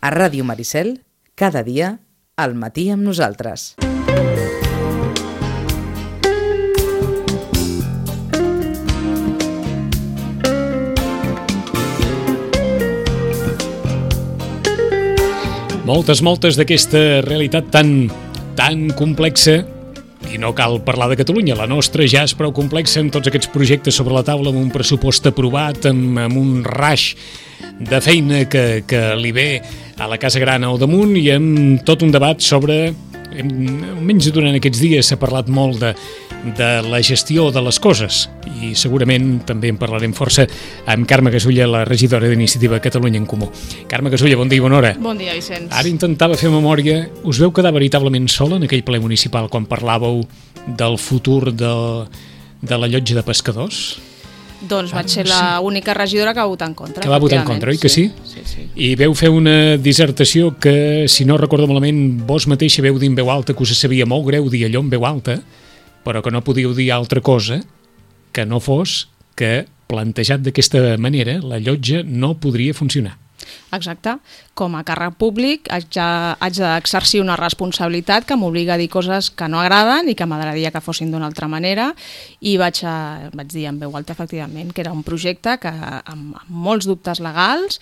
A Ràdio Maricel, cada dia, al matí amb nosaltres. Moltes d'aquesta realitat tan complexa, i no cal parlar de Catalunya, la nostra ja és prou complexa amb tots aquests projectes sobre la taula, amb un pressupost aprovat, amb un raix de feina que li ve a la Casa Gran al damunt i amb tot un debat sobre, almenys durant aquests dies s'ha parlat molt de la gestió de les coses i segurament també en parlarem força amb Carme Gasulla, la regidora d'Iniciativa Catalunya en Comú. Carme Gasulla, bon dia i bona hora. Bon dia, Vicenç. Ara intentava fer memòria. Us veu quedar veritablement sola en aquell ple municipal quan parlàveu del futur de la llotja de pescadors? Doncs vaig ser l'única regidora que va votar en contra. Que va votar en contra, oi que sí? Sí. I veu fer una dissertació que, si no recordo malament, vos mateixa veu dir en veu alta que us sabia molt greu dir allò en veu alta, però que no podíeu dir altra cosa que no fos que, plantejat d'aquesta manera, la llotja no podria funcionar. Exacte. Com a càrrec públic haig d'exercir una responsabilitat que m'obliga a dir coses que no agraden i que m'agradaria que fossin d'una altra manera i vaig dir en veu alta, efectivament, que era un projecte que amb molts dubtes legals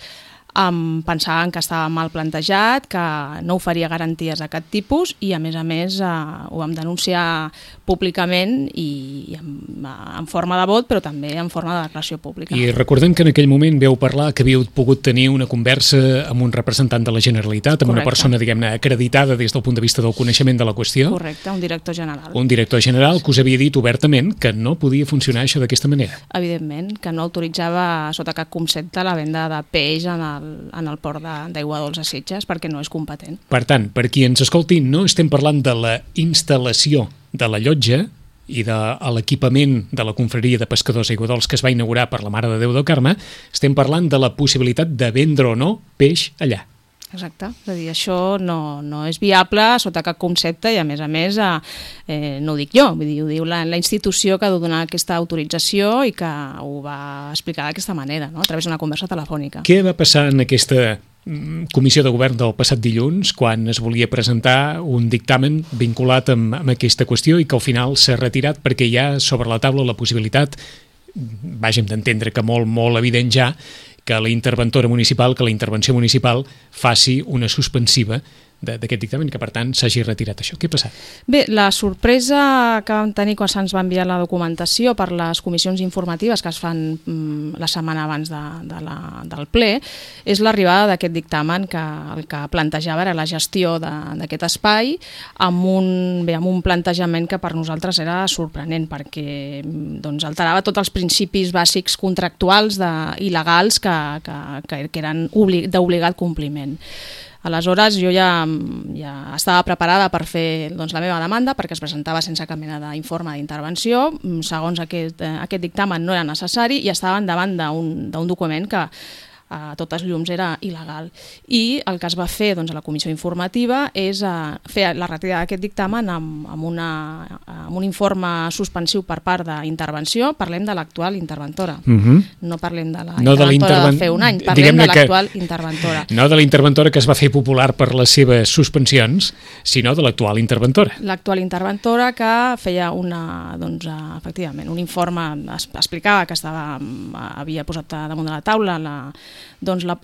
pensaven que estava mal plantejat, que no oferia garanties d'aquest tipus i a més ho vam denunciar públicament i en forma de vot, però també en forma de declaració pública. I recordem que en aquell moment veu parlar que havíeu pogut tenir una conversa amb un representant de la Generalitat, amb una persona, diguem-ne, acreditada des del punt de vista del coneixement de la qüestió. Correcte, un director general. Un director general que us havia dit obertament que no podia funcionar això d'aquesta manera. Evidentment, que no autoritzava sota cap concepte la venda de peix en el port d'Aigua Dols a Sitges perquè no és competent. Per tant, per qui ens escolti, no estem parlant de la instal·lació de la llotja i de l'equipament de la confraria de pescadors Aigua Dols que es va inaugurar per la Mare de Déu del Carme, estem parlant de la possibilitat de vendre o no peix allà. Exacte, és a dir, això no és viable sota cap concepte i a més no ho dic jo, vull dir, ho diu la institució que ha de donar aquesta autorització i que ho va explicar d'aquesta manera, no? A través d'una conversa telefònica. Què va passar en aquesta comissió de govern del passat dilluns quan es volia presentar un dictamen vinculat amb aquesta qüestió i que al final s'ha retirat perquè hi ha sobre la taula la possibilitat, vàgim d'entendre que molt evident ja, que la interventora municipal, que la intervenció municipal faci una suspensiva d'aquest dictamen, que per tant s'hagi retirat això. Què ha passat? Bé, la sorpresa que vam tenir quan se'ns va enviar la documentació per les comissions informatives que es fan la setmana abans del ple és l'arribada d'aquest dictamen que el que plantejava era la gestió d'aquest espai amb un plantejament que per nosaltres era sorprenent perquè alterava tots els principis bàsics contractuals i legals que eren d'obligat compliment. Aleshores, jo ja estava preparada per fer la meva demanda perquè es presentava sense cap mena d'informe d'intervenció. Segons aquest dictamen no era necessari i estàvem davant d'un document que a totes llums era il·legal. I el que es va fer a la comissió informativa és fer la retirada d'aquest dictamen amb un informe suspensiu per part d'intervenció. Parlem de l'actual interventora. No parlem de la interventora de fer un any, parlem de l'actual interventora. No de la interventora que es va fer popular per les seves suspensions, sinó de l'actual interventora. L'actual interventora que feia efectivament, un informe, explicava que havia posat damunt de la taula la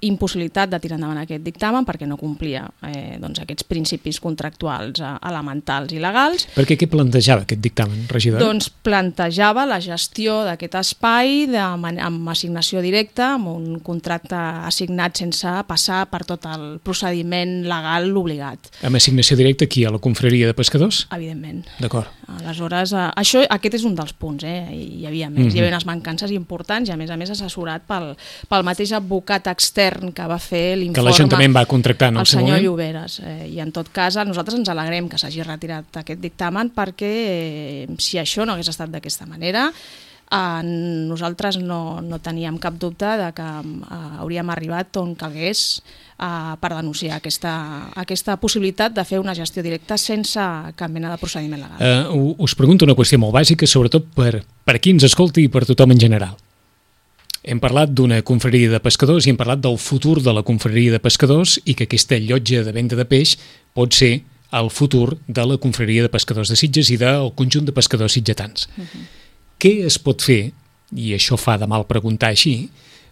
impossibilitat de tirar endavant aquest dictamen perquè no complia aquests principis contractuals elementals i legals. Perquè què plantejava aquest dictamen, regidora? Doncs plantejava la gestió d'aquest espai amb assignació directa, amb un contracte assignat sense passar per tot el procediment legal obligat. Amb assignació directa aquí, a la confraria de pescadors? Evidentment. D'acord. Aleshores, aquest és un dels punts, hi havia més. Hi havia unes mancances importants i a més assessorat pel mateix advocat extern que va fer l'informe, que l'Ajuntament va contractar en el seu moment, el senyor Lloberes. I en tot cas, nosaltres ens alegrem que s'hagi retirat aquest dictamen perquè si això no hagués estat d'aquesta manera, nosaltres no teníem cap dubte de que hauríem arribat on calgués per denunciar aquesta possibilitat de fer una gestió directa sense cap mena de procediment legal. Us pregunto una qüestió molt bàsica, sobretot per qui ens escolti i per tothom en general. hem parlat d'una confraria de pescadors i hem parlat del futur de la confraria de pescadors i que aquesta llotja de venda de peix pot ser el futur de la confraria de pescadors de Sitges i del conjunt de pescadors sitgetans. Què es pot fer, i això fa de mal preguntar així,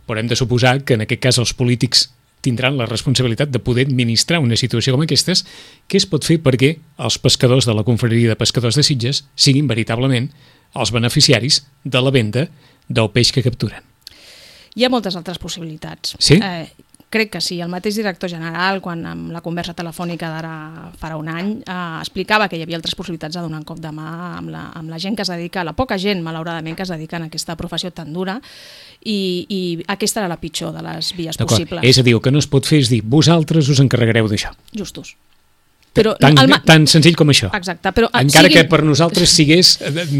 però hem de suposar que en aquest cas els polítics tindran la responsabilitat de poder administrar una situació com aquestes, què es pot fer perquè els pescadors de la confraria de pescadors de Sitges siguin veritablement els beneficiaris de la venda del peix que capturen? Hi ha moltes altres possibilitats. Sí? Crec que sí. El mateix director general, quan amb la conversa telefònica d'ara farà un any, explicava que hi havia altres possibilitats de donar un cop de mà amb la gent que es dedica, la poca gent, malauradament, que es dedica a aquesta professió tan dura, i aquesta era la pitjor de les vies possibles. És a dir, el que no es pot fer és dir, vosaltres us encarregareu d'això. Justos. Però tan senzill com això. Exacte, però encara que per nosaltres sigués,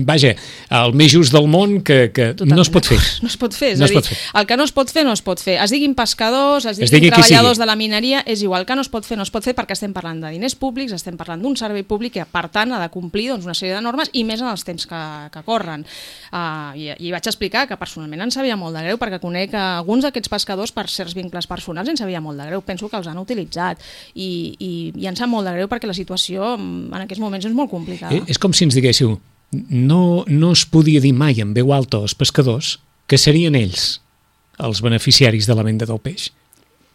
vaja, el més just del món, que no es pot fer. No es pot fer, és a dir, el que no es pot fer, no es pot fer. Es diguin pescadors, es diguin treballadors de la mineria, és igual, que no es pot fer perquè estem parlant de diners públics, estem parlant d'un servei públic que, per tant, ha de complir una sèrie de normes i més en els temps que corren. I vaig explicar que personalment ens sabia molt de greu, perquè conec alguns d'aquests pescadors per certs vincles personals ens sabia molt de greu. Penso que els han utilitzat i ens sap molt de greu perquè la situació en aquests moments és molt complicada. És com si ens diguéssiu, no es podia dir mai en veu alta als pescadors que serien ells els beneficiaris de la venda del peix.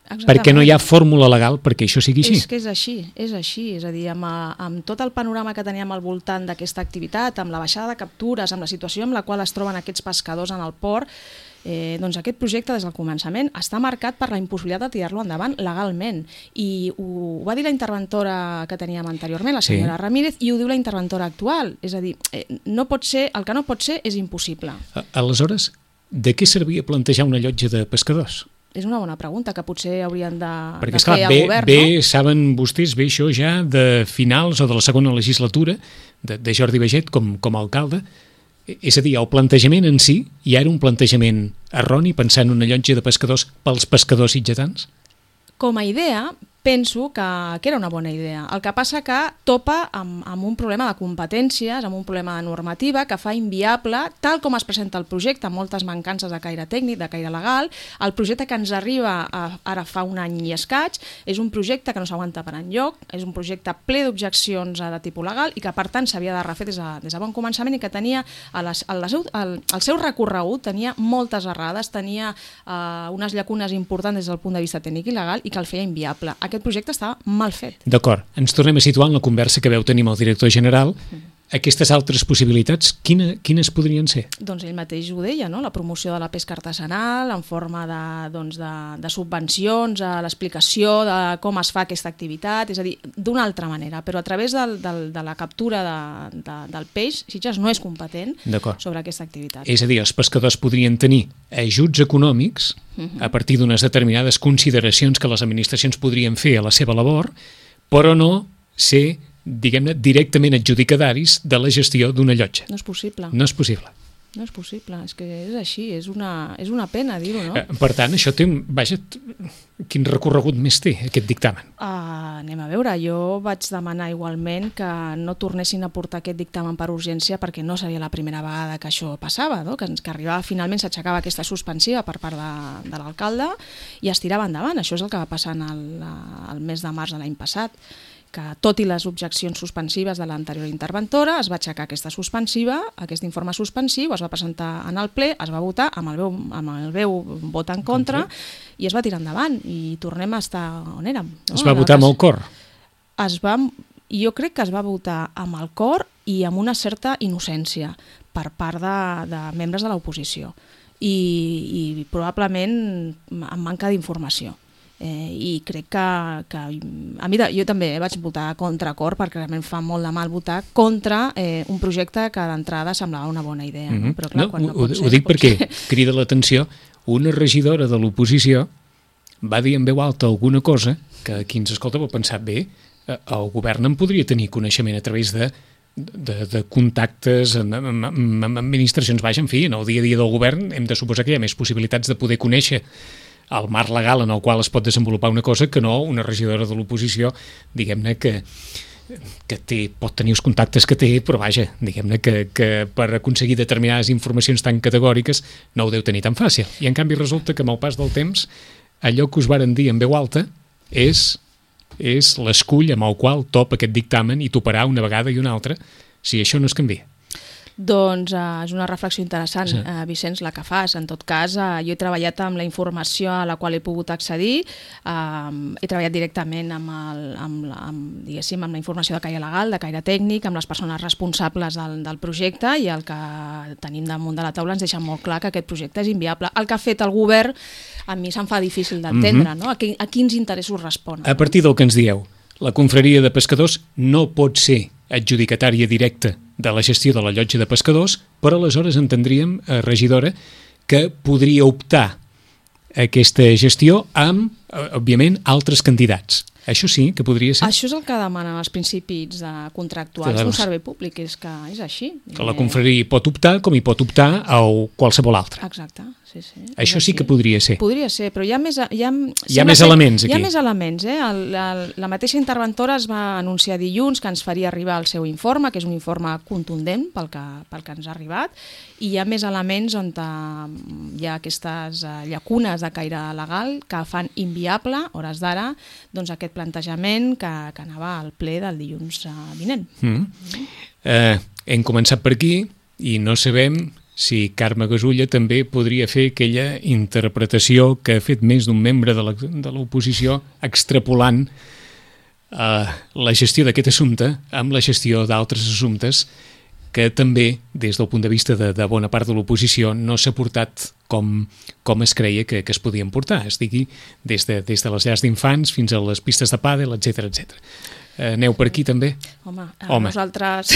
Exactament. Perquè no hi ha fórmula legal perquè això sigui així. És que és així. És a dir, amb tot el panorama que teníem al voltant d'aquesta activitat, amb la baixada de captures, amb la situació en la qual es troben aquests pescadors en el port, doncs aquest projecte des del començament està marcat per la impossibilitat de tirar-lo endavant legalment, i ho va dir la interventora que teníem anteriorment, la senyora Ramírez, i ho diu la interventora actual, és a dir, el que no pot ser és impossible. Aleshores, de què servia plantejar una llotja de pescadors? És una bona pregunta que potser haurien de perquè, fer al govern, no? Saben vostès, això ja de finals o de la segona legislatura de Jordi Baiget com a alcalde. És a dir, el plantejament en si ja era un plantejament erroni, pensar en una llotja de pescadors pels pescadors sitgetans? Com a idea, penso que era una bona idea. El que passa que topa amb un problema de competències, amb un problema de normativa que fa inviable, tal com es presenta el projecte, amb moltes mancances de caire tècnic, de caire legal. El projecte que ens arriba ara fa un any i escaig és un projecte que no s'aguanta per enlloc, és un projecte ple d'objeccions de tipus legal i que per tant s'havia de refer des de bon començament i que tenia el seu recorregut tenia moltes errades, tenia unes llacunes importants des del punt de vista tècnic i legal i que el feia inviable. Aquest projecte estava mal fet. D'acord, ens tornem a situar en la conversa que veu tenir amb el director general. Aquestes altres possibilitats, quines podrien ser? Doncs ell mateix ho deia, no? La promoció de la pesca artesanal en forma de subvencions, l'explicació de com es fa aquesta activitat, és a dir, d'una altra manera, però a través de la captura del peix, Sitges no és competent sobre aquesta activitat. És a dir, els pescadors podrien tenir ajuts econòmics a partir d'unes determinades consideracions que les administracions podrien fer a la seva labor, però no ser, diguem-ne, directament adjudicataris de la gestió d'una llotja. No és possible. No és possible. No és possible, és que és així, és una pena dir-ho, no? Per tant, això té, vaja, quin recorregut més té, aquest dictamen? Anem a veure, jo vaig demanar igualment que no tornessin a portar aquest dictamen per urgència perquè no seria la primera vegada que això passava, no? Que arribava, finalment s'aixecava aquesta suspensiva per part de l'alcalde i es tirava endavant. Això és el que va passar el mes de març de l'any passat, que tot i les objeccions suspensives de l'anterior interventora es va aixecar aquesta suspensiva, aquest informe suspensiu, es va presentar en el ple, es va votar amb el veu vot en contra i es va tirar endavant i tornem a estar on érem. Es va votar amb el cor? Jo crec que es va votar amb el cor i amb una certa innocència per part de membres de l'oposició i probablement amb manca d'informació. I crec que jo també vaig votar contra cor perquè realment fa molt de mal votar contra un projecte que d'entrada semblava una bona idea. Però clar, ho dic perquè crida l'atenció, una regidora de l'oposició va dir en veu alta alguna cosa que qui ens escolta va pensar, bé, el govern en podria tenir coneixement a través de contactes amb administracions. Vaja, en fi, en el dia a dia del govern hem de suposar que hi ha més possibilitats de poder conèixer el marc legal en el qual es pot desenvolupar una cosa que no una regidora de l'oposició, diguem-ne, que pot tenir els contactes que té, però vaja, diguem-ne que per aconseguir determinades informacions tan categòriques no ho deu tenir tan fàcil. I en canvi resulta que amb el pas del temps allò que us varen dir en veu alta és l'escull amb el qual top aquest dictamen i toparà una vegada i una altra si això no es canvia. Doncs és una reflexió interessant, Sí. Vicenç, la que fas. En tot cas, jo he treballat amb la informació a la qual he pogut accedir, he treballat directament amb la informació de caire legal, de caire tècnic, amb les persones responsables del projecte, i el que tenim damunt de la taula ens deixa molt clar que aquest projecte és inviable. El que ha fet el govern a mi se'm fa difícil d'entendre, no? A quins interessos respon. A partir del que ens dieu, la confraria de pescadors no pot ser adjudicatària directa de la gestió de la llotja de pescadors, però aleshores entendríem, regidora, que podria optar a aquesta gestió amb, òbviament, altres candidats. Això sí que podria ser. Això és el que demanen els principis contractuals d'un servei públic, és que és així. Que la confraria pot optar com hi pot optar a qualsevol altre. Exacte, sí. Això sí que podria ser. Podria ser, però hi ha més elements aquí. Hi ha més elements, La mateixa interventora es va anunciar dilluns que ens faria arribar el seu informe, que és un informe contundent pel que ens ha arribat, i hi ha més elements on hi ha aquestes llacunes de caire legal que fan inviable, hores d'ara, doncs aquest plantejament que anava al ple del dilluns vinent. Hem començat per aquí i no sabem si Carme Gasulla també podria fer aquella interpretació que ha fet més d'un membre de l'oposició extrapolant la gestió d'aquest assumpte amb la gestió d'altres assumptes que també, des del punt de vista de bona part de l'oposició, no s'ha portat com es creia que es podien portar. Es digui, des de les llars d'infants fins a les pistes de pàdel, etc. Aneu per aquí també? Home. Nosaltres,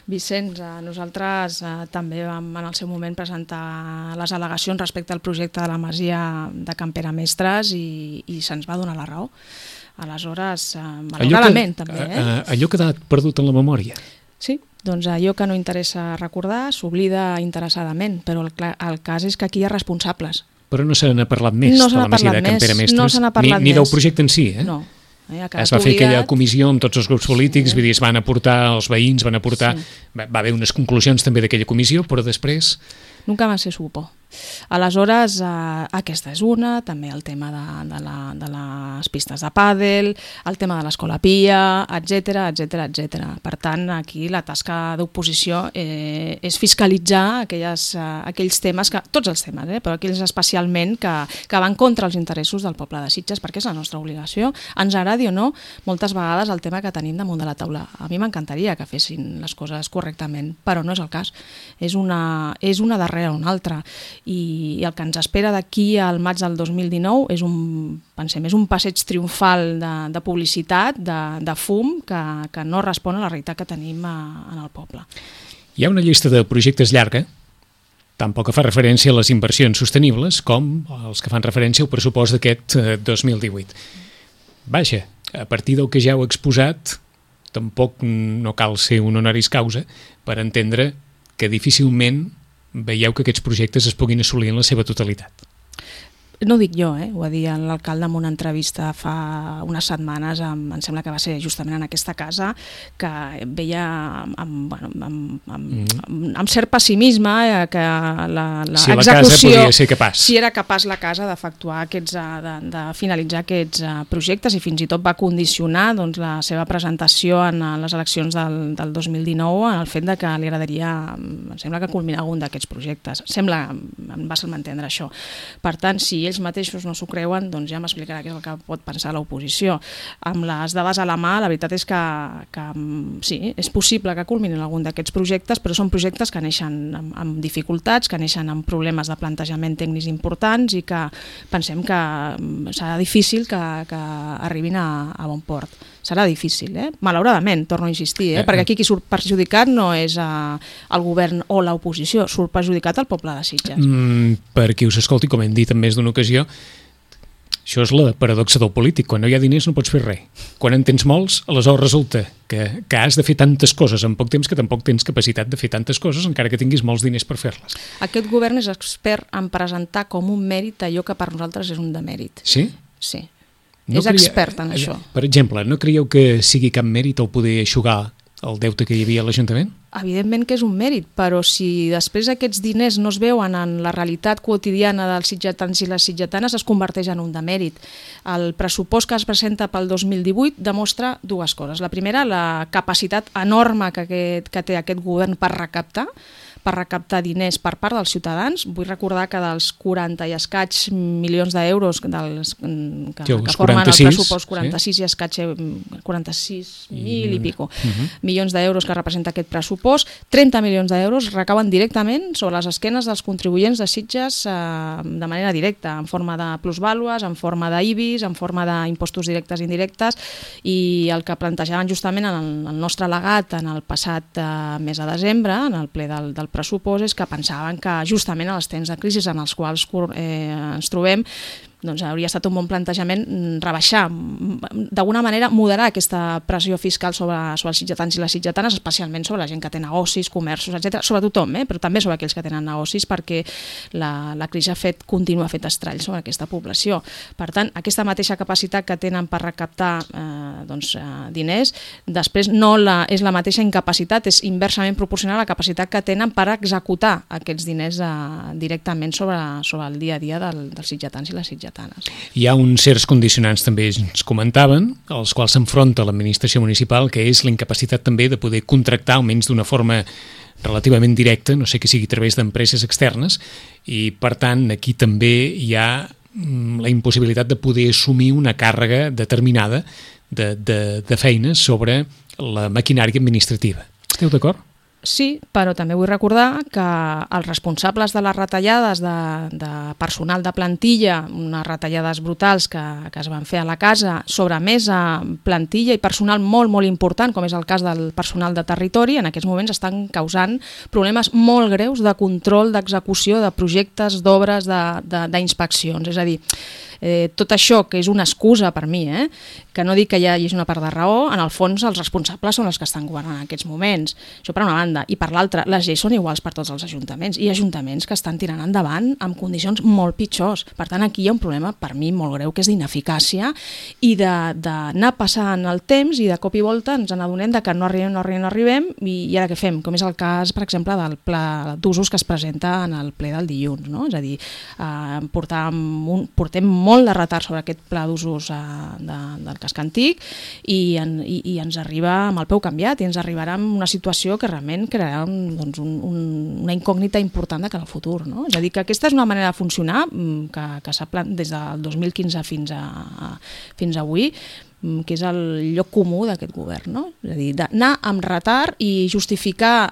Vicenç, nosaltres també vam en el seu moment presentar les al·legacions respecte al projecte de la masia de Can Pere Mestres i se'ns va donar la raó. Aleshores, malauradament també. Allò que ha quedat perdut en la memòria. Sí, doncs allò que no interessa recordar s'oblida interessadament, però el cas és que aquí hi ha responsables. Però no se n'ha parlat més de la masia de Can Pere Mestres, ni del projecte en si, No. Es va fer aquella comissió amb tots els grups polítics, vull dir, es van aportar, els veïns van aportar, va haver unes conclusions també d'aquella comissió, però després... Nunca más se supo. Aleshores, aquesta és una, també el tema de les pistes de pàdel, el tema de l'escola Pia, etc. Per tant, aquí la tasca d'oposició és fiscalitzar aquells temes, tots els temes, però aquells especialment que van contra els interessos del poble de Sitges, perquè és la nostra obligació. Ens agradi o no, moltes vegades el tema que tenim damunt de la taula. A mi m'encantaria que fessin les coses correctament, però no és el cas. És una darrere una altra. I el que ens espera d'aquí al maig del 2019 és un passeig triomfal de publicitat, de fum, que no respon a la realitat que tenim en el poble. Hi ha una llista de projectes llarga, tampoc fa referència a les inversions sostenibles com els que fan referència al pressupost d'aquest 2018. Vaja, a partir del que ja heu exposat, tampoc no cal ser un honoris causa per entendre que difícilment veieu que aquests projectes es puguin assolir en la seva totalitat. No ho dic jo, ho va dir l'alcalde en una entrevista fa unes setmanes, em sembla que va ser justament en aquesta casa, que veia amb cert pessimisme que l'execució, si era capaç la casa d'efectuar de finalitzar aquests projectes, i fins i tot va condicionar la seva presentació en les eleccions del 2019 en el fet que li agradaria, em sembla que culminar algun d'aquests projectes. Em va ser entendre això. Per tant, si ells mateixos no s'ho creuen, doncs ja m'explicarà què és el que pot pensar l'oposició. Amb les dades a la mà, la veritat és que sí, és possible que culminin algun d'aquests projectes, però són projectes que neixen amb dificultats, que neixen amb problemes de plantejament tècnics importants i que pensem que serà difícil que arribin a bon port. Serà difícil, malauradament, torno a insistir, perquè aquí qui surt perjudicat no és el govern o l'oposició, surt perjudicat el poble de Sitges. Per qui us escolti, com hem dit en més d'una ocasió, això és la paradoxa del polític. Quan no hi ha diners no pots fer res. Quan en tens molts, aleshores resulta que has de fer tantes coses en poc temps que tampoc tens capacitat de fer tantes coses encara que tinguis molts diners per fer-les. Aquest govern és expert en presentar com un mèrit allò que per nosaltres és un demèrit. Sí? Sí. és expert en això. Per exemple, no creieu que sigui cap mèrit el poder eixugar el deute que hi havia a l'Ajuntament? Evidentment que és un mèrit, però si després aquests diners no es veuen en la realitat quotidiana dels sitgetans i les sitgetanes, es converteix en un demèrit. El pressupost que es presenta pel 2018 demostra dues coses. La primera, la capacitat enorme que té aquest govern per recaptar diners per part dels ciutadans. Vull recordar que dels 40 i escaig milions d'euros que formen el pressupost, 46 i escaig, 46.000 i pico milions d'euros que representa aquest pressupost, 30 milions d'euros recauen directament sobre les esquenes dels contribuents de Sitges de manera directa, en forma de plusvàlues, en forma d'IBIs, en forma d'impostos directes i indirectes, i el que plantejaven justament en el nostre legat en el passat mes de desembre, en el ple del pressupost, és que pensaven que justament en els temps de crisi en els quals ens trobem, doncs hauria estat un bon plantejament rebaixar, d'alguna manera moderar aquesta pressió fiscal sobre els sitgetans i les sitgetanes, especialment sobre la gent que té negocis, comerços, etc. Sobre tothom, però també sobre aquells que tenen negocis, perquè la crisi continua fent estralls sobre aquesta població. Per tant, aquesta mateixa capacitat que tenen per recaptar diners, després no és la mateixa incapacitat, és inversament proporcional a la capacitat que tenen per executar aquests diners directament sobre el dia a dia dels sitgetans i les sitgetanes. Hi ha uns certs condicionants, també ens comentaven, als quals s'enfronta l'administració municipal, que és la incapacitat també de poder contractar, almenys d'una forma relativament directa, no sé que sigui a través d'empreses externes, i per tant aquí també hi ha la impossibilitat de poder assumir una càrrega determinada de feines sobre la maquinària administrativa. Esteu d'acord? Sí, però també vull recordar que els responsables de les retallades de personal de plantilla, unes retallades brutals que es van fer a la casa sobre més plantilla i personal molt, molt important, com és el cas del personal de territori, en aquests moments estan causant problemes molt greus de control, d'execució de projectes, d'obres, d'inspeccions. És a dir, tot això, que és una excusa per mi, que no dic que hi hagi una part de raó, en el fons els responsables són els que estan governant en aquests moments. Això per una banda. I per l'altra, les lleis són iguals per tots els ajuntaments, i ajuntaments que estan tirant endavant amb condicions molt pitjors. Per tant, aquí hi ha un problema per mi molt greu, que és d'ineficàcia i d'anar passant el temps, i de cop i volta ens n'adonem que no arribem, i ara què fem? Com és el cas, per exemple, del pla d'usos que es presenta en el ple del dilluns, no? És a dir, portem molt de retard sobre aquest pla d'usos del casc antic, i ens arriba amb el peu canviat, i ens arribarà amb una situació que realment crearà una incògnita important de cara al futur, no? És a dir, que aquesta és una manera de funcionar que s'ha des del 2015 fins avui, que és el lloc comú d'aquest govern, no? És a dir, d'anar amb retard i justificar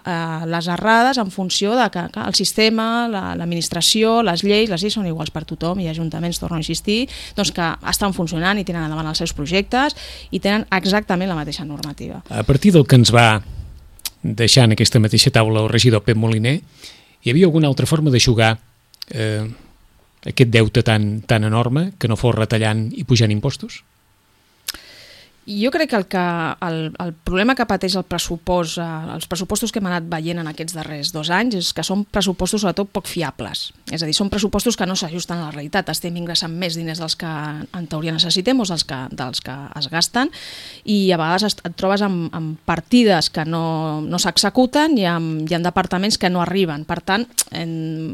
les errades en funció de que el sistema, l'administració, les lleis són iguals per tothom, i ajuntaments, torno a insistir, doncs que estan funcionant i tenen endavant els seus projectes i tenen exactament la mateixa normativa. A partir del que ens va deixar en aquesta mateixa taula el regidor Pep Moliner, hi havia alguna altra forma d'eixugar aquest deute tan enorme que no fos retallant i pujant impostos? Jo crec que el problema que pateix el pressupost, els pressupostos que hem anat veient en aquests darrers 2 anys, és que són pressupostos sobretot poc fiables. És a dir, són pressupostos que no s'ajusten a la realitat. Estem ingressant més diners dels que en teoria necessitem o dels que es gasten, i a vegades et trobes amb partides que no s'executen i amb departaments que no arriben. Per tant,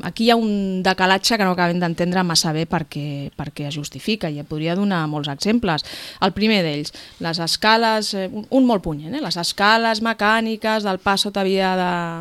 aquí hi ha un decalatge que no acabem d'entendre massa bé per què es justifica, i podria donar molts exemples. El primer d'ells, les escales, un molt punyent, les escales mecàniques del pas sota via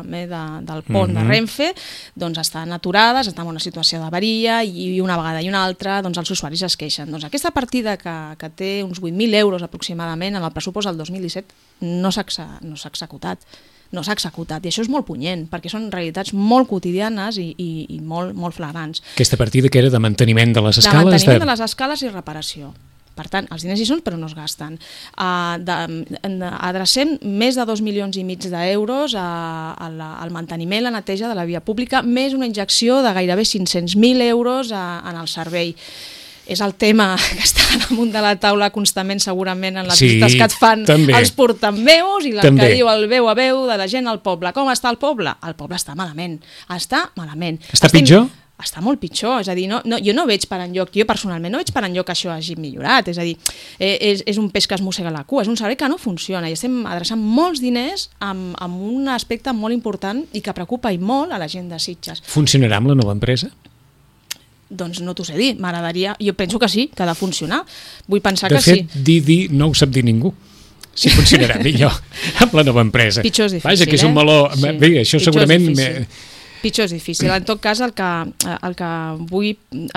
del pont de Renfe, doncs estan aturades, estan en una situació d'avaria, i una vegada i una altra doncs els usuaris es queixen. Doncs aquesta partida que té uns 8.000 euros aproximadament en el pressupost del 2017 no s'ha executat. No s'ha executat, i això és molt punyent, perquè són realitats molt quotidianes i molt flagrants. Aquesta partida que era de manteniment de les escales? De manteniment de les escales i reparació. Per tant, els diners hi són però no es gasten. Adrecem més de 2,5 milions d'euros al manteniment i la neteja de la via pública, més una injecció de gairebé 500.000 euros en el servei. És el tema que està damunt de la taula constantment, segurament, en les visites que et fan els portaveus i que diu el veu a veu de la gent al poble. Com està el poble? El poble està malament. Està malament. Està pitjor? està molt pitjor. És a dir, jo no veig per enlloc, jo personalment no veig per enlloc que això hagi millorat. És a dir, és un peix que es mossega la cua, és un servei que no funciona i estem adreçant molts diners amb un aspecte molt important i que preocupa i molt a la gent de Sitges. Funcionarà amb la nova empresa? Doncs no t'ho sé dir, m'agradaria, jo penso que sí, que ha de funcionar. Vull pensar que sí. De fet, sí. dir no ho sap dir ningú. Si funcionarà millor amb la nova empresa. Pitjor és difícil, Vaja, que és un meló... Sí. Bé, això segurament... Pitjor és difícil. En tot cas, el que vull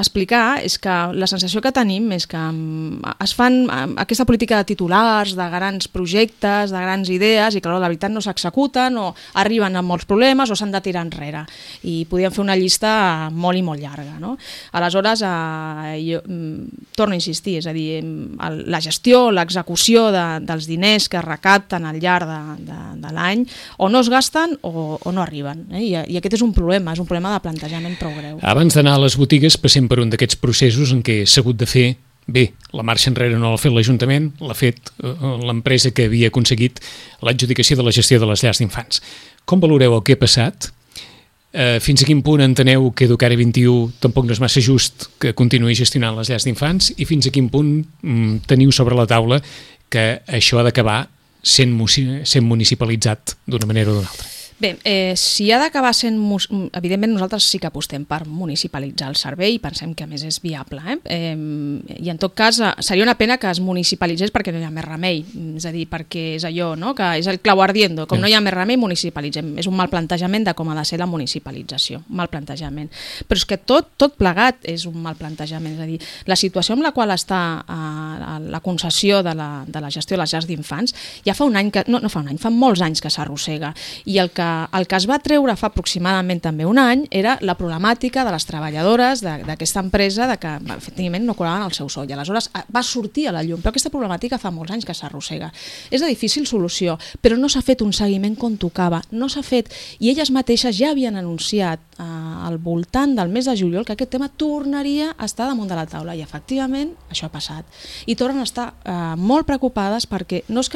explicar és que la sensació que tenim és que es fan aquesta política de titulars, de grans projectes, de grans idees, i que la veritat no s'executen o arriben amb molts problemes o s'han de tirar enrere. I podríem fer una llista molt i molt llarga. No? Aleshores, jo torno a insistir, és a dir, la gestió, l'execució dels diners que es recapten al llarg de l'any o no es gasten o no arriben. I aquest és un problema de plantejament prou greu. Abans d'anar a les botigues passem per un d'aquests processos en què s'ha hagut de fer, bé, la marxa enrere no l'ha fet l'Ajuntament, l'ha fet l'empresa que havia aconseguit l'adjudicació de la gestió de les llars d'infants. Com valoreu el que ha passat? Fins a quin punt enteneu que Educare 21 tampoc no és massa just que continuï gestionant les llars d'infants i fins a quin punt teniu sobre la taula que això ha d'acabar sent municipalitzat d'una manera o d'una altra? Bé, si ha d'acabar sent... Evidentment nosaltres sí que apostem per municipalitzar el servei i pensem que a més és viable. I en tot cas seria una pena que es municipalitzés perquè no hi ha més remei. És a dir, perquè és allò, no? Que és el clau ardiendo. Com no hi ha més remei, municipalitzem. És un mal plantejament de com ha de ser la municipalització. Un mal plantejament. Però és que tot plegat és un mal plantejament. És a dir, la situació amb la qual està la concessió de la gestió de les llars d'infants ja fa un any, no fa un any, fa molts anys que s'arrossega. I el que es va treure fa aproximadament també un any era la problemàtica de les treballadores d'aquesta empresa de que efectivament no cobraven el seu sou i aleshores va sortir a la llum, però aquesta problemàtica fa molts anys que s'arrossega. És de difícil solució, però no s'ha fet un seguiment com tocava, no s'ha fet, i elles mateixes ja havien anunciat al voltant del mes de juliol que aquest tema tornaria a estar damunt de la taula i efectivament això ha passat. I tornen a estar molt preocupades perquè no és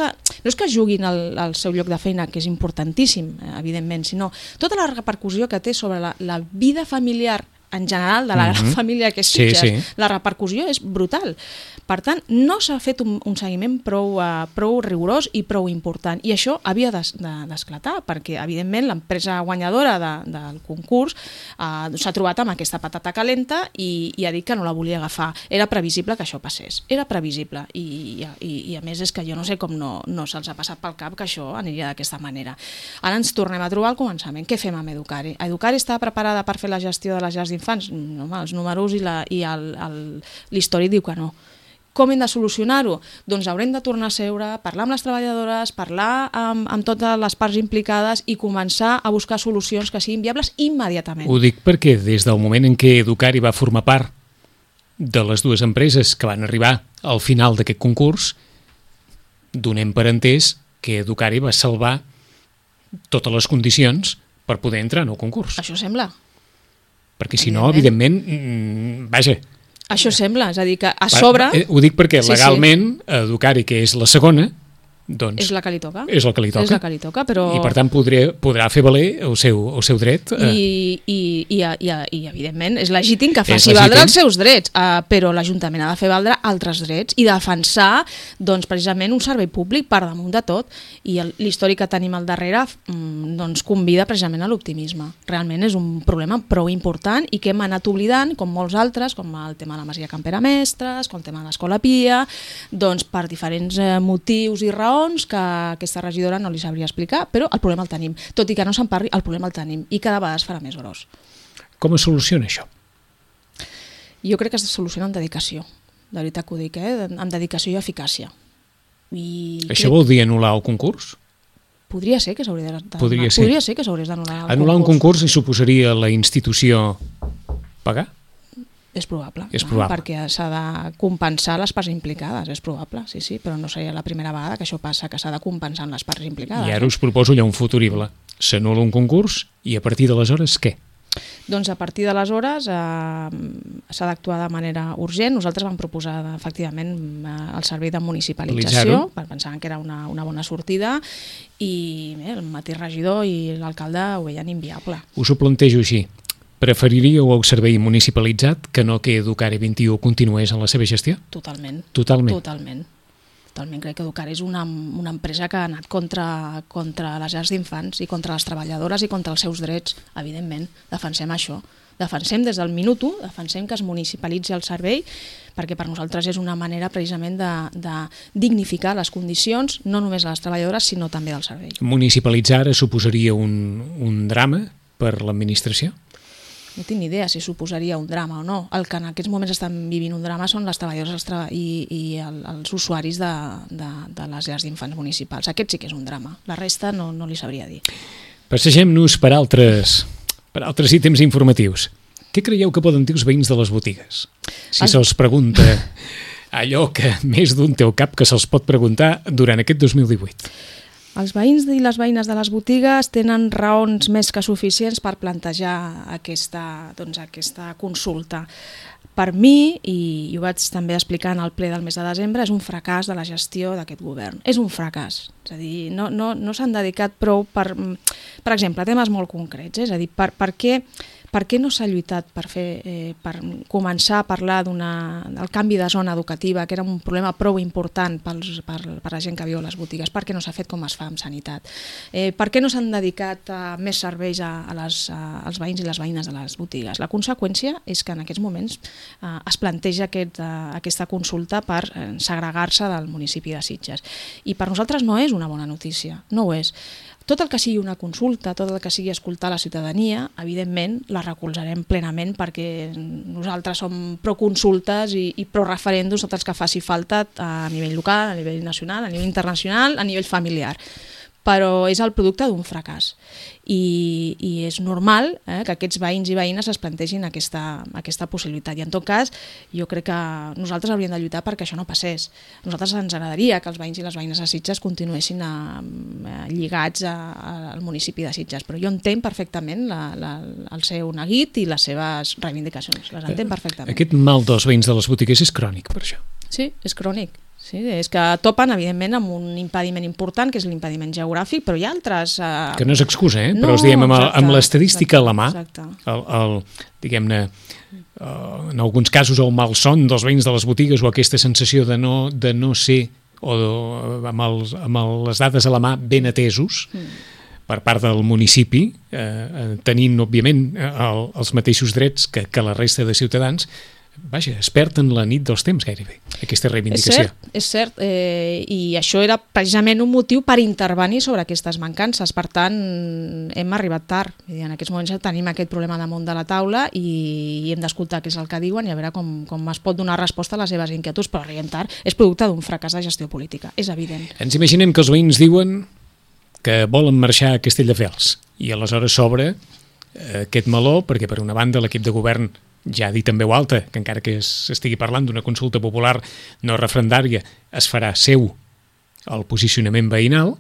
que juguin al seu lloc de feina, que és importantíssim, evidentment, sinó tota la repercussió que té sobre la vida familiar en general de la gran família que és Sitges. Sí. La repercussió és brutal. Per tant, no s'ha fet un seguiment prou rigorós i prou important. I això havia d'esclatar, perquè, evidentment, l'empresa guanyadora del concurs s'ha trobat amb aquesta patata calenta i ha dit que no la volia agafar. Era previsible que això passés. Era previsible. I a més, és que jo no sé com no se'ls ha passat pel cap que això aniria d'aquesta manera. Ara ens tornem a trobar al començament. Què fem amb Educare? Educare està preparada per fer la gestió de les llars d'infants? No, els números i l'històric diu que no. Com hem de solucionar-ho? Doncs haurem de tornar a seure, parlar amb les treballadores, parlar amb totes les parts implicades i començar a buscar solucions que siguin viables immediatament. Ho dic perquè des del moment en què Educare va formar part de les dues empreses que van arribar al final d'aquest concurs, donem per entès que Educare va salvar totes les condicions per poder entrar en el concurs. Això sembla. Perquè si no, evidentment, vaja... Això sembla, és a dir, que a sobre... Ho dic perquè legalment Educare, que és la segona, doncs... És la que li toca. És la que li toca. És la que li toca, però... I per tant podrà fer valer el seu dret. I evidentment és legítim que faci valdre els seus drets, però l'Ajuntament ha de fer valdre altres drets i defensar doncs, precisament un servei públic per damunt de tot. I l'històric que tenim al darrere doncs, convida precisament a l'optimisme. Realment és un problema prou important i que hem anat oblidant, com molts altres, com el tema de la Masia Campera Mestres, com el tema de l'Escola Pia, doncs per diferents motius i raons que aquesta regidora no li sabria explicar, però el problema el tenim. Tot i que no se'n parli, el problema el tenim i cada vegada es farà més gros. Com es soluciona això? Jo crec que es soluciona amb dedicació. De veritat que ho dic, amb dedicació i eficàcia. Això vol dir anul·lar el concurs? Podria ser que s'hauria d'anul·lar. Podria ser que s'hagués d'anul·lar el concurs. Anul·lar un concurs i suposaria la institució pagar? És probable, perquè s'ha de compensar les parts implicades, és probable, sí, però no seria la primera vegada que això passa, que s'ha de compensar amb les parts implicades. I ara us proposo ja un futurible. S'anul·la un concurs i a partir d'aleshores què? Doncs a partir d'aleshores s'ha d'actuar de manera urgent. Nosaltres vam proposar efectivament el servei de municipalització, pensàvem que era una bona sortida i el mateix regidor i l'alcalde ho veien inviable. Us ho plantejo així. Preferiríeu el servei municipalitzat que no que Educare 21 continués en la seva gestió? Totalment. Totalment. Crec que Educare és una empresa que ha anat contra les llars d'infants i contra les treballadores i contra els seus drets, evidentment. Defensem això. Defensem des del minut 1, defensem que es municipalitzi el servei, perquè per nosaltres és una manera precisament de dignificar les condicions, no només a les treballadores, sinó també del servei. Municipalitzar ara suposaria un drama per l'administració? No tinc ni idea si suposaria un drama o no. El que en aquests moments estan vivint un drama són les treballadores i els usuaris de les llars d'infants municipals. Aquest sí que és un drama. La resta no li sabria dir. Passegem-nos per altres ítems informatius. Què creieu que poden dir els veïns de les botigues? Si se'ls pregunta allò que més d'un té al cap que se'ls pot preguntar durant aquest 2018. Els veïns i les veïnes de les botigues tenen raons més que suficients per plantejar aquesta consulta. Per mi, i ho vaig també explicar en el ple del mes de desembre, és un fracàs de la gestió d'aquest govern. És un fracàs. És a dir, no s'han dedicat prou per exemple, temes molt concrets. És a dir, per què no s'ha lluitat per començar a parlar del canvi de zona educativa, que era un problema prou important per la gent que viu a les botigues? Per què no s'ha fet com es fa amb sanitat? Per què no s'han dedicat més serveis als veïns i les veïnes de les botigues? La conseqüència és que en aquests moments es planteja aquesta consulta per segregar-se del municipi de Sitges. I per nosaltres no és una bona notícia, no ho és. Tot el que sigui una consulta, tot el que sigui escoltar la ciutadania, evidentment la recolzarem plenament perquè nosaltres som pro-consultes i pro-referèndums, tots els que faci falta a nivell local, a nivell nacional, a nivell internacional, a nivell familiar. Però és el producte d'un fracàs i és normal que aquests veïns i veïnes es plantegin aquesta possibilitat. I en tot cas, jo crec que nosaltres hauríem de lluitar perquè això no passés. A nosaltres ens agradaria que els veïns i les veïnes de Sitges continuessin lligats al municipi de Sitges, però jo entenc perfectament el seu neguit i les seves reivindicacions. Les entenc perfectament. Aquest mal dels veïns de les botigues és crònic, per això. Sí, és crònic. Sí, és que topen, evidentment, amb un impediment important, que és l'impediment geogràfic, però hi ha altres... Que no és excusa, però els diem amb l'estadística a la mà, diguem-ne, en alguns casos el malson dels veïns de les botigues o aquesta sensació de no ser, o amb les dades a la mà ben atesos, per part del municipi, tenint, òbviament, els mateixos drets que la resta de ciutadans. Vaja, es perd en la nit dels temps gairebé, aquesta reivindicació. És cert, i això era precisament un motiu per intervenir sobre aquestes mancances. Per tant, hem arribat tard. En aquests moments tenim aquest problema damunt de la taula i hem d'escoltar què és el que diuen i a veure com es pot donar resposta a les seves inquietuds, però arribem tard. És producte d'un fracàs de gestió política, és evident. Ens imaginem que els veïns diuen que volen marxar a Castelldefels i aleshores s'obre aquest meló perquè, per una banda, l'equip de govern ja ha dit en veu alta que encara que s'estigui parlant d'una consulta popular no referendària, es farà seu el posicionament veïnal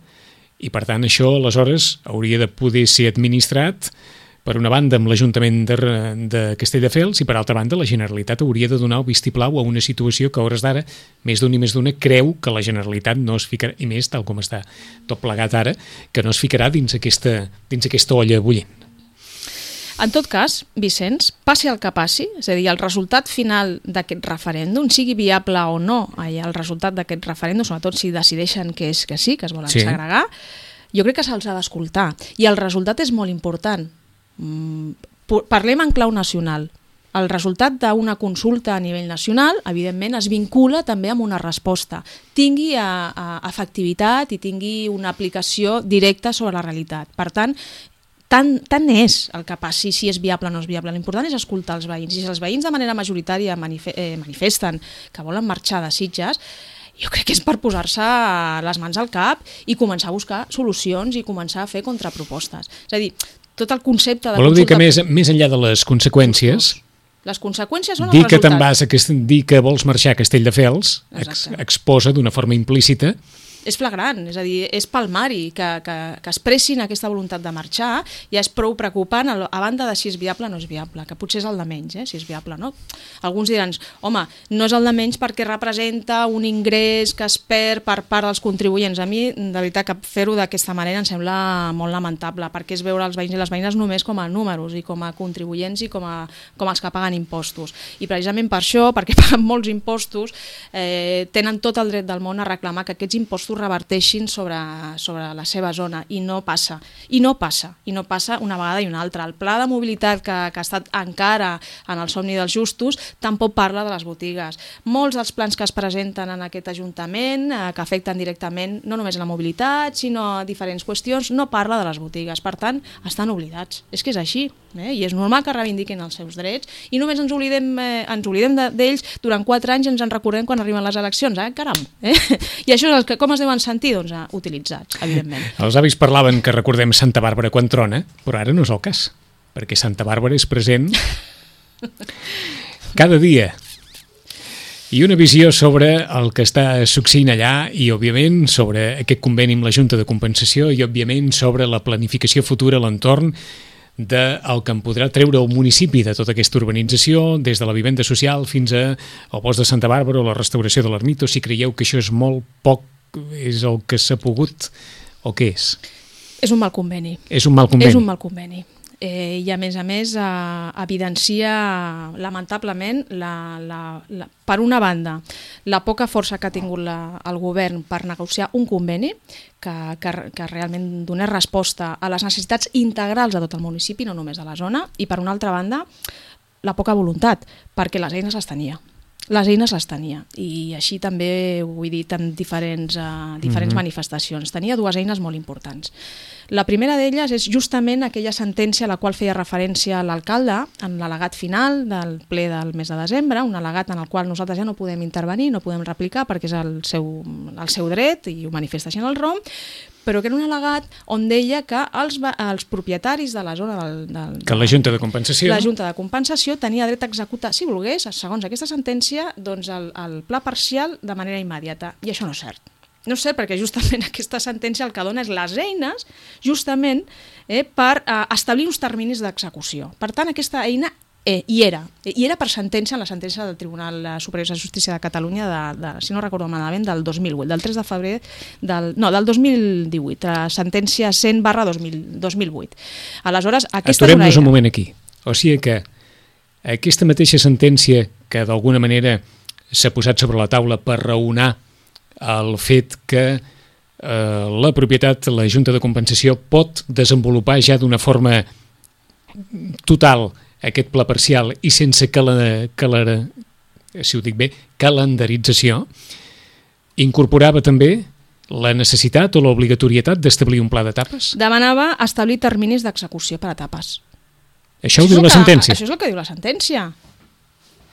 i per tant això aleshores hauria de poder ser administrat per una banda amb l'Ajuntament de Castelldefels i per altra banda la Generalitat hauria de donar el vistiplau a una situació que a hores d'ara més d'un i més d'una creu que la Generalitat no es ficarà, i més tal com està tot plegat ara, que no es ficarà dins aquesta olla bullent. En tot cas, Vicenç, passi el que passi, és a dir, el resultat final d'aquest referèndum, sigui viable o no el resultat d'aquest referèndum, sobretot si decideixen que és que sí, que es volen segregar, jo crec que se'ls ha d'escoltar. I el resultat és molt important. Parlem en clau nacional. El resultat d'una consulta a nivell nacional, evidentment, es vincula també amb una resposta. Tingui efectivitat i tingui una aplicació directa sobre la realitat. Per tant, tant és el que passi, si és viable o no és viable. L'important és escoltar els veïns. I si els veïns de manera majoritària manifesten que volen marxar de Sitges, jo crec que és per posar-se les mans al cap i començar a buscar solucions i començar a fer contrapropostes. És a dir, tot el concepte de consulta... Voleu dir que més enllà de les conseqüències... Les conseqüències són el resultat. Dir que vols marxar a Castelldefels exposa d'una forma implícita és flagrant, és a dir, és palmari que expressin aquesta voluntat de marxar, ja és prou preocupant, a banda de si és viable o no és viable, que potser és el de menys, si és viable, no? Alguns diran, home, no és el de menys perquè representa un ingrés que es perd per part dels contribuents. A mi, de veritat, que fer-ho d'aquesta manera em sembla molt lamentable, perquè és veure els veïns i les veïnes només com a números i com a contribuents i com els que paguen impostos. I precisament per això, perquè paguen molts impostos, tenen tot el dret del món a reclamar que aquests impostos reverteixin sobre la seva zona, i no passa una vegada i una altra. El pla de mobilitat que ha estat encara en el somni dels justos tampoc parla de les botigues. Molts dels plans que es presenten en aquest Ajuntament, que afecten directament no només la mobilitat, sinó diferents qüestions, no parla de les botigues. Per tant, estan oblidats. És que és així, i és normal que reivindiquin els seus drets, i només ens oblidem d'ells durant 4 anys i ens en recordem quan arriben les eleccions, caram. I això és com es deuen sentir, doncs, utilitzats, evidentment. Els avis parlaven que recordem Santa Bàrbara quan trona, però ara no és el cas, perquè Santa Bàrbara és present cada dia. I una visió sobre el que està succeint allà i, òbviament, sobre aquest conveni amb la Junta de Compensació i, òbviament, sobre la planificació futura a l'entorn del que en podrà treure el municipi de tota aquesta urbanització, des de la vivenda social fins al bosc de Santa Bàrbara o la restauració de l'ermita, o si creieu que això és molt poc, és el que s'ha pogut, o què és? És un mal conveni. És un mal conveni. És un mal conveni. I a més evidencia lamentablement per una banda la poca força que ha tingut el govern per negociar un conveni que realment donés resposta a les necessitats integrals de tot el municipi, no només de la zona, i per una altra banda la poca voluntat, perquè les eines les tenia. I així també ho he dit en diferents manifestacions. Tenia 2 eines molt importants. La primera d'elles és justament aquella sentència a la qual feia referència l'alcalde en l'al·legat final del ple del mes de desembre, un al·legat en el qual nosaltres ja no podem intervenir, no podem replicar perquè és el seu dret i ho manifesta així en el ROM, però que era un al·legat on deia que els propietaris de la zona que la Junta de Compensació tenia dret a executar, si volgués, segons aquesta sentència, doncs el pla parcial de manera immediata. I això no és cert. No és cert perquè justament aquesta sentència el que dona és les eines justament per establir uns terminis d'execució. Per tant, aquesta eina hi era per sentència en la sentència del Tribunal Superior de Justícia de Catalunya si no recordo malament, del 2008, del 3 de febrer del 2018, sentència 100/2008. Aleshores, aquesta aturem-nos un moment aquí. O sigui que aquesta mateixa sentència que d'alguna manera s'ha posat sobre la taula per raonar el fet que la propietat, la Junta de Compensació, pot desenvolupar ja d'una forma total aquest pla parcial i sense calendarització, incorporava també la necessitat o l'obligatorietat d'establir un pla d'etapes? Demanava establir terminis d'execució per etapes. Això ho diu la sentència? Això és el que diu la sentència.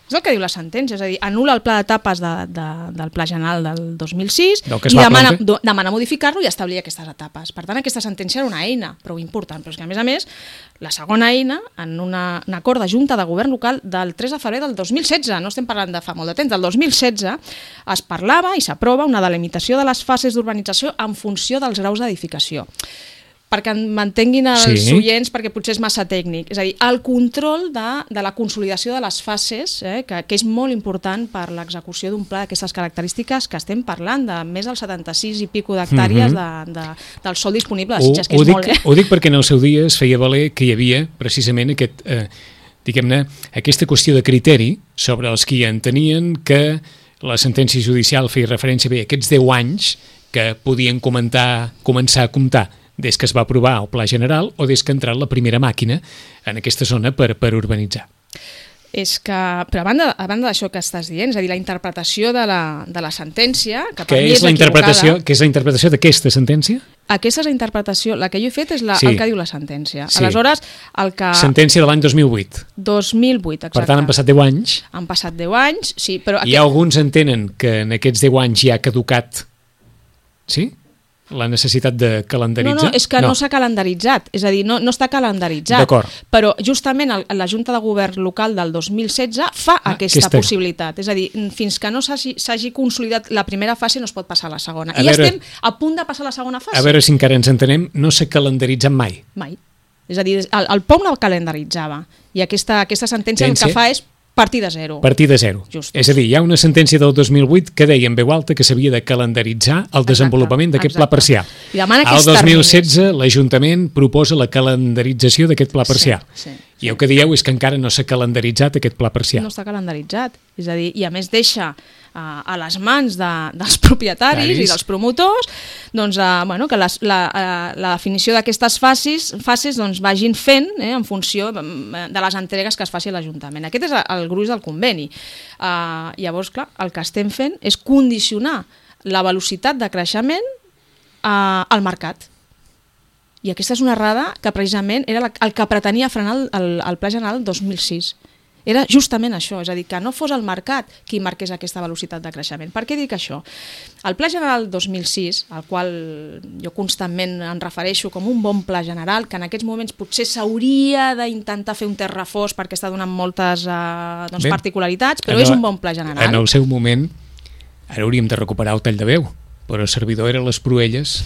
És el que diu la sentència, és a dir, anul·la el pla d'etapes del Pla General del 2006 i demana modificar-lo i establir aquestes etapes. Per tant, aquesta sentència era una eina prou important, però és que, a més, la segona eina, en un acord de Junta de Govern Local del 3 de febrer del 2016, no estem parlant de fa molt de temps, del 2016, es parlava i s'aprova una delimitació de les fases d'urbanització en funció dels graus d'edificació. Perquè m'entenguin els oients, perquè potser és massa tècnic. És a dir, el control de la consolidació de les fases, que és molt important per l'execució d'un pla d'aquestes característiques, que estem parlant de més del 76 i pico d'hectàrees del sòl disponible de Sitges, que és molt. Ho dic perquè en el seu dia es feia valer que hi havia precisament aquesta qüestió de criteri sobre els qui entenien que la sentència judicial feia referència a aquests 10 anys que podien començar a comptar des que es va aprovar el Pla General o des que ha entrat la primera màquina en aquesta zona per urbanitzar. És que, però a banda d'això que estàs dient, és a dir, la interpretació de la sentència, que per mi és equivocada... Què és la interpretació d'aquesta sentència? Aquesta és la interpretació, la que jo he fet és el que diu la sentència. Aleshores, el que... Sentència de l'any 2008. 2008, exacte. Per tant, han passat 10 anys. Han passat 10 anys, sí, però... I alguns entenen que en aquests 10 anys ja ha caducat... Sí? la necessitat de calendaritzar? No, és que no s'ha calendaritzat, és a dir, no està calendaritzat. D'acord. Però justament la Junta de Govern local del 2016 fa aquesta possibilitat. És a dir, fins que no s'hagi consolidat la primera fase no es pot passar a la segona. I estem a punt de passar a la segona fase. A veure si encara ens entenem, no s'ha calendaritzat mai. Mai. És a dir, el POM no calendaritzava i aquesta sentència el que fa és partir de zero. Partir de zero. Justos. És a dir, hi ha una sentència del 2008 que deia en veu alta que s'havia de calendaritzar el desenvolupament d'aquest pla parcial. I demana al 2016 l'Ajuntament proposa la calendarització d'aquest pla parcial. Sí. I el que dieu és que encara no s'ha calendaritzat aquest pla parcial. No està calendaritzat. És a dir, i a més deixa a les mans dels propietaris i dels promotors doncs, que la definició d'aquestes fases doncs, vagin fent en funció de les entregues que es faci a l'Ajuntament. Aquest és el gruix del conveni. Llavors, clar, el que estem fent és condicionar la velocitat de creixement al mercat. I aquesta és una errada que precisament era el que pretenia frenar el Pla General 2006. Era justament això, és a dir, que no fos el mercat qui marqués aquesta velocitat de creixement. Per què dic això? El Pla General 2006, al qual jo constantment em refereixo com un bon pla general, que en aquests moments potser s'hauria d'intentar fer un terrafós perquè està donant moltes particularitats, però és un bon pla general. En el seu moment, ara hauríem de recuperar el tall de veu, però el servidor era a les Proelles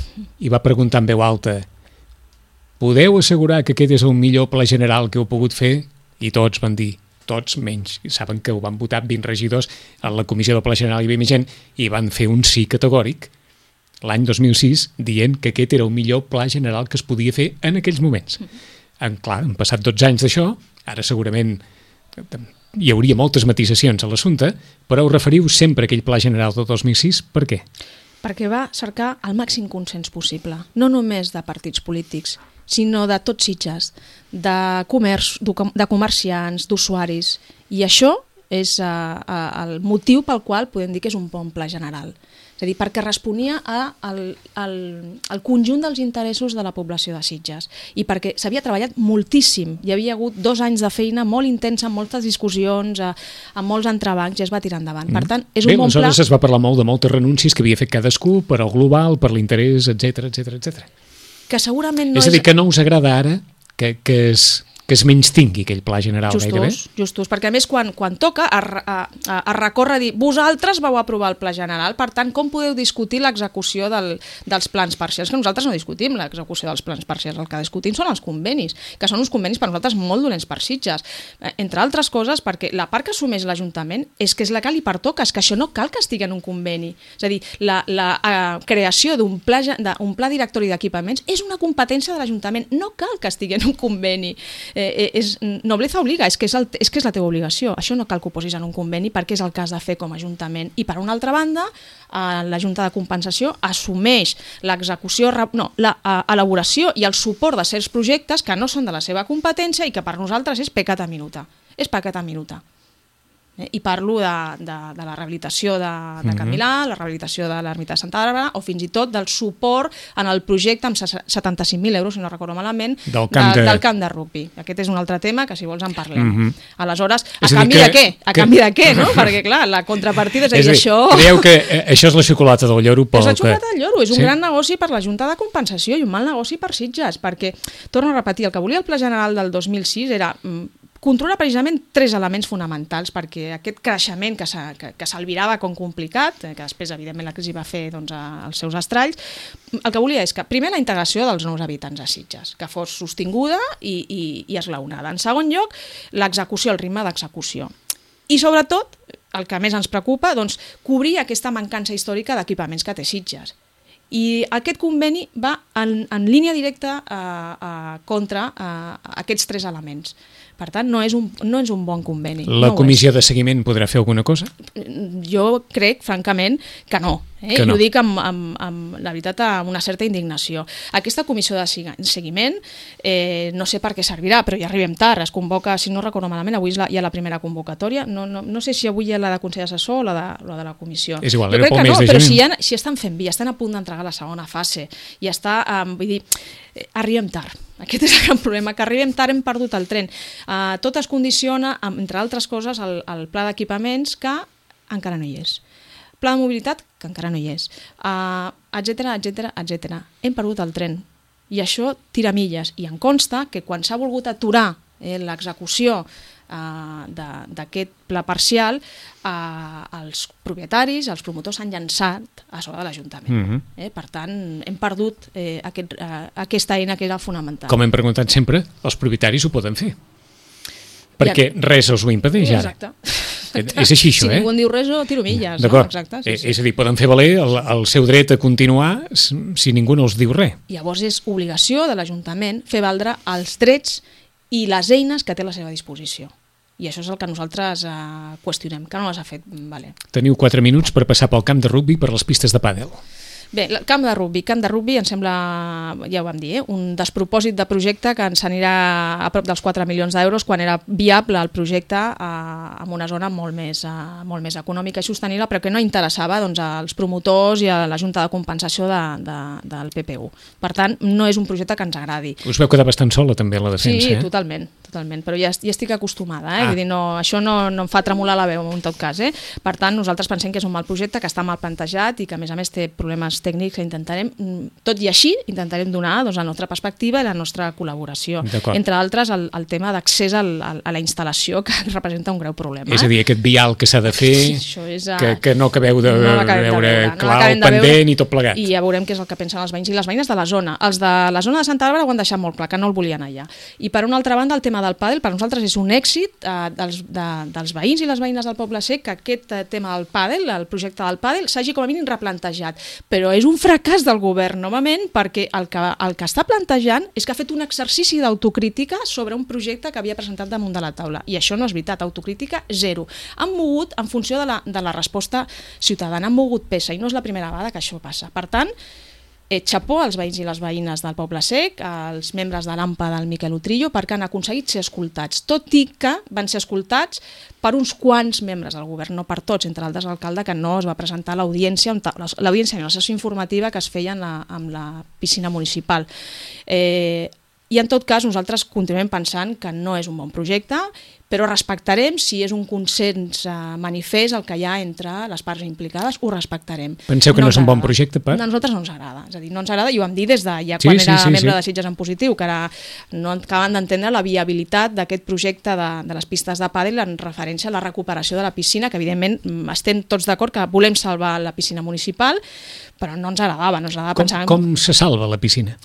i va preguntar en veu alta: podeu assegurar que aquest és el millor pla general que heu pogut fer? I tots van dir, tots menys, saben que ho van votar 20 regidors a la comissió del Pla General, hi havia més gent, i van fer un sí categòric l'any 2006 dient que aquest era el millor pla general que es podia fer en aquells moments. Clar, han passat 12 anys d'això, ara segurament hi hauria moltes matisacions a l'assumpte, però us referiu sempre a aquell pla general del 2006, per què? Perquè va cercar el màxim consens possible, no només de partits polítics, sinó de tots Sitges, de comerciants, d'usuaris. I això és el motiu pel qual podem dir que és un bon pla general. És a dir, perquè responia al conjunt dels interessos de la població de Sitges i perquè s'havia treballat moltíssim. Hi havia hagut 2 anys de feina molt intensa, amb moltes discussions, amb molts entrebancs, i es va tirar endavant. Per tant, és un bon pla... Aleshores es va parlar molt de moltes renúncies que havia fet cadascú per al global, per l'interès, etc etc. Que segurament no és a dir, que no us agrada ara que es menys tingui aquell pla general gairebé? Justos, perquè a més quan toca es recorre a dir vosaltres vau aprovar el pla general, per tant com podeu discutir l'execució dels plans parcials? Que nosaltres no discutim l'execució dels plans parcials, el que discutim són els convenis, que són uns convenis per nosaltres molt dolents per Sitges, entre altres coses perquè la part que assumeix l'Ajuntament és que és la que li pertoca, és que això no cal que estigui en un conveni, és a dir, la creació d'un pla directori d'equipaments és una competència de l'Ajuntament, no cal que estigui en un conveni. Nobleza obliga, és que és la teva obligació. Això no cal que ho posis en un conveni perquè és el que has de fer com a Ajuntament. I per una altra banda, la Junta de Compensació assumeix l'execució, l'elaboració i el suport de certs projectes que no són de la seva competència i que per nosaltres és peccata minuta. És peccata minuta. I parlo de la rehabilitació de Can Milà, la rehabilitació de l'ermita de Santa Bàrbara o fins i tot del suport en el projecte amb 75.000 euros, si no recordo malament, del camp de rugbi. Aquest és un altre tema que si vols en parlem. Aleshores, a canvi de què? A canvi de què, no? Perquè clar, la contrapartida és a dir, això... Creieu que això és la xocolata del lloro? És la xocolata del lloro, és un gran negoci per la Junta de Compensació i un mal negoci per Sitges, perquè, torno a repetir, el que volia el Pla General del 2006 era... controla precisament 3 elements fonamentals perquè aquest creixement que s'albirava com complicat, que després evidentment la crisi va fer els seus estralls, el que volia és que primer la integració dels nous habitants a Sitges, que fos sostinguda i esglaonada. En segon lloc, l'execució, el ritme d'execució. I sobretot, el que més ens preocupa, cobrir aquesta mancança històrica d'equipaments que té Sitges. I aquest conveni va en línia directa contra aquests 3 elements. Per tant, no és un bon conveni. La comissió de seguiment podrà fer alguna cosa? Jo crec, francament, que no. I ho dic la veritat amb una certa indignació. Aquesta comissió de seguiment no sé per què servirà, però ja arribem tard, es convoca, si no recordo malament, avui hi ha la primera convocatòria, no sé si avui hi ha la de Consell Assessor o la de la comissió. És igual, jo crec que no, però si estan fent bé, estan a punt d'entregar la segona fase i està, vull dir, arribem tard. Aquest és el gran problema, que arribem tard, hem perdut el tren. Tot es condiciona, entre altres coses, al pla d'equipaments que encara no hi és. Pla de mobilitat, que encara no hi és, etcètera. Hem perdut el tren. I això tira milles. I em consta que quan s'ha volgut aturar l'execució d'aquest pla parcial, els propietaris, els promotors s'han llançat a sobre de l'Ajuntament. Per tant, hem perdut aquesta eina que era fonamental. Com hem preguntat sempre, els propietaris ho poden fer. Perquè res els ho impedeix ara. Exacte. És així, això, Si ningú en diu res, tiro milles. D'acord. Exacte. És a dir, poden fer valer el seu dret a continuar si ningú no els diu res. Llavors és obligació de l'Ajuntament fer valdre els drets i les eines que té a la seva disposició. I això és el que nosaltres qüestionem, que no les ha fet valer. Teniu 4 minuts per passar pel camp de rugbi per les pistes de pàdel. Bé, el camp de rugbi em sembla, ja ho vam dir, un despropòsit de projecte que ens anirà a prop dels 4 milions d'euros quan era viable el projecte en una zona molt més econòmica i sostenible, però que no interessava als promotors i a la Junta de Compensació del PPU. Per tant, no és un projecte que ens agradi. Us veu quedar bastant sola també a la defensa, Sí, totalment, però ja estic acostumada, Vull dir, això no em fa tremolar la veu en tot cas. Per tant, nosaltres pensem que és un mal projecte, que està mal plantejat i que a més té problemes tècnics que intentarem, tot i així, intentarem donar la nostra perspectiva i la nostra col·laboració. Entre altres, el tema d'accés a la instal·lació, que representa un greu problema. És a dir, aquest vial que s'ha de fer, que no acabeu de veure clar el pendent i tot plegat. I ja veurem què és el que pensen els veïns i les veïnes de la zona. Els de la zona de Santa Bàrbara ho han deixat molt clar, que no el volien allà. I per una altra banda, el tema del pàdel, per nosaltres és un èxit dels veïns i les veïnes del Poble Sec que aquest tema del pàdel, el projecte del pàdel, s'hagi com a mínim replantejat. Però és un fracàs del govern, novament, perquè el que està plantejant és que ha fet un exercici d'autocrítica sobre un projecte que havia presentat damunt de la taula. I això no és veritat, autocrítica zero. Han mogut, en funció de la resposta ciutadana, han mogut peça, i no és la primera vegada que això passa. Per tant, xapó als veïns i les veïnes del Poble Sec, als membres de l'AMPA del Miquel Utrillo, perquè han aconseguit ser escoltats, tot i que van ser escoltats per uns quants membres del govern, no per tots, entre altres l'alcalde, que no es va presentar a l'audiència i la sessió informativa que es feia amb la piscina municipal. I en tot cas nosaltres continuem pensant que no és un bon projecte, però respectarem, si és un consens manifest el que hi ha entre les parts implicades, ho respectarem. Penseu que no és un bon projecte, per? A nosaltres no ens agrada, és a dir, no ens agrada, i ho vam dir des de ja quan era membre de Sitges en Positiu, que ara no acaben d'entendre la viabilitat d'aquest projecte de les pistes de pàdel en referència a la recuperació de la piscina, que evidentment estem tots d'acord que volem salvar la piscina municipal, però no ens agradava, pensar... Com se salva la piscina?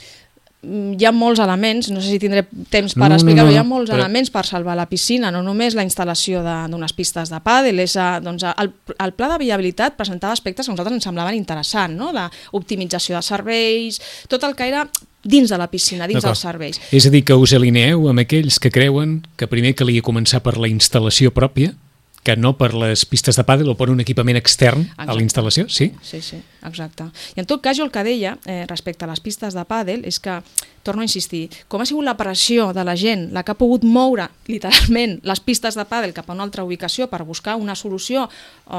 Hi ha molts elements, no sé si tindré temps per explicar-ho, hi ha molts elements per salvar la piscina, no només la instal·lació d'unes pistes de pàdel, el pla de viabilitat presentava aspectes que a nosaltres ens semblaven interessants, l'optimització de serveis, tot el que era dins de la piscina, dins dels serveis. És a dir, que us alineeu amb aquells que creuen que primer calia començar per la instal·lació pròpia, que no per les pistes de pàdel o per un equipament extern a la instal·lació, sí? Sí, exacte. I en tot cas, jo el que deia respecte a les pistes de pàdel és que, torno a insistir, com ha sigut la pressió de la gent la que ha pogut moure, literalment, les pistes de pàdel cap a una altra ubicació per buscar una solució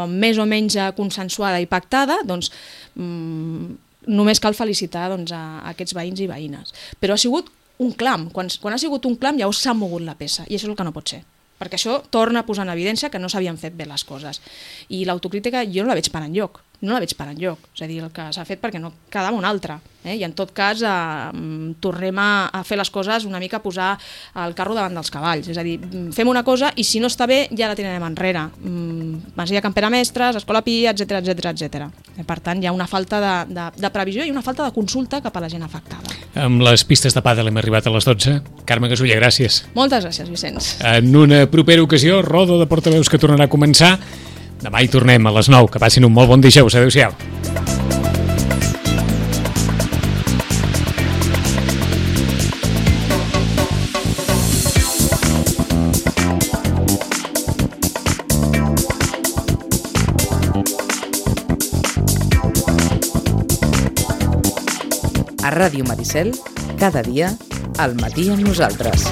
més o menys consensuada i pactada, doncs només cal felicitar a aquests veïns i veïnes. Però ha sigut un clam. Quan ha sigut un clam ja s'ha mogut la peça, i això és el que no pot ser. Perquè això torna a posar en evidència que no s'havien fet bé les coses. I l'autocrítica jo no la veig per enlloc. És a dir, el que s'ha fet perquè no quedava un altre. I en tot cas tornem a fer les coses una mica a posar el carro davant dels cavalls. És a dir, fem una cosa i si no està bé ja la tirarem enrere. Masia Campera Mestres, Escola Pia, etcètera. Per tant, hi ha una falta de previsió i una falta de consulta cap a la gent afectada. Amb les pistes de pàdel hem arribat a les 12. Carme Gasulla, gràcies. Moltes gràcies, Vicenç. En una propera ocasió, roda de portaveus que tornarà a començar. Demà hi tornem a les 9. Que passin un molt bon dijous. Adéu-siau. A Ràdio Maricel, cada dia, al matí amb nosaltres.